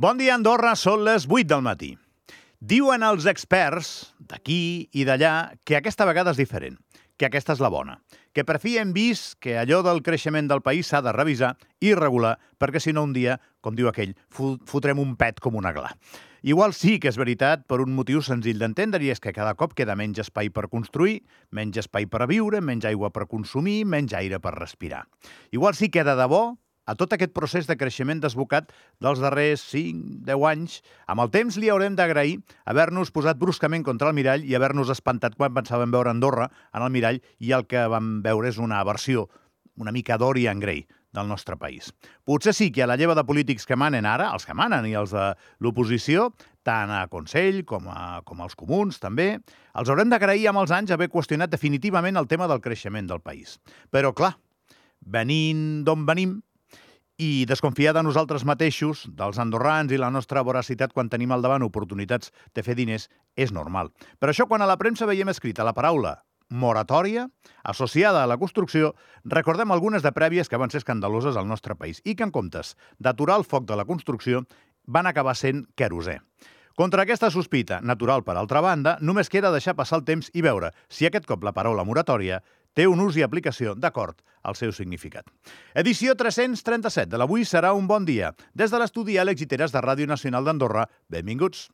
Bon dia, Andorra, són les 8 del matí. Diuen els experts d'aquí i d'allà que aquesta vegada és diferent, que aquesta és la bona, que per fi hem vist que allò del creixement del país s'ha de revisar i regular, perquè si no un dia, com diu aquell, fotrem un pet com una gla. Igual sí que és veritat per un motiu senzill d'entendre, i és que cada cop queda menys espai per construir, menys espai per viure, menys aigua per consumir, menys aire per respirar. Igual sí que de debò, a tot aquest procés de creixement desbocat dels darrers 5-10 anys, amb el temps li haurem d'agrair haver-nos posat bruscament contra el mirall i haver-nos espantat quan pensàvem veure Andorra en el mirall i el que vam veure és una versió una mica Dorian Gray del nostre país. Potser sí que a la lleva de polítics que manen ara, els que manen i els de l'oposició, tant a Consell com als comuns també, els haurem d'agrair amb els anys haver qüestionat definitivament el tema del creixement del país. Però clar, venint d'on venim, i desconfiar de nosaltres mateixos, dels andorrans i la nostra voracitat quan tenim al davant oportunitats de fer diners, és normal. Per això, quan a la premsa veiem escrita la paraula moratòria, associada a la construcció, recordem algunes de prèvies que van ser escandaloses al nostre país i que, en comptes d'aturar el foc de la construcció, van acabar sent querosè. Contra aquesta sospita, natural per altra banda, només queda deixar passar el temps i veure si aquest cop la paraula moratòria té un ús i aplicació d'acord al seu significat. Edició 337 de l'Avui serà un bon dia. Des de l'estudi Àlex Giteras de Ràdio Nacional d'Andorra, benvinguts.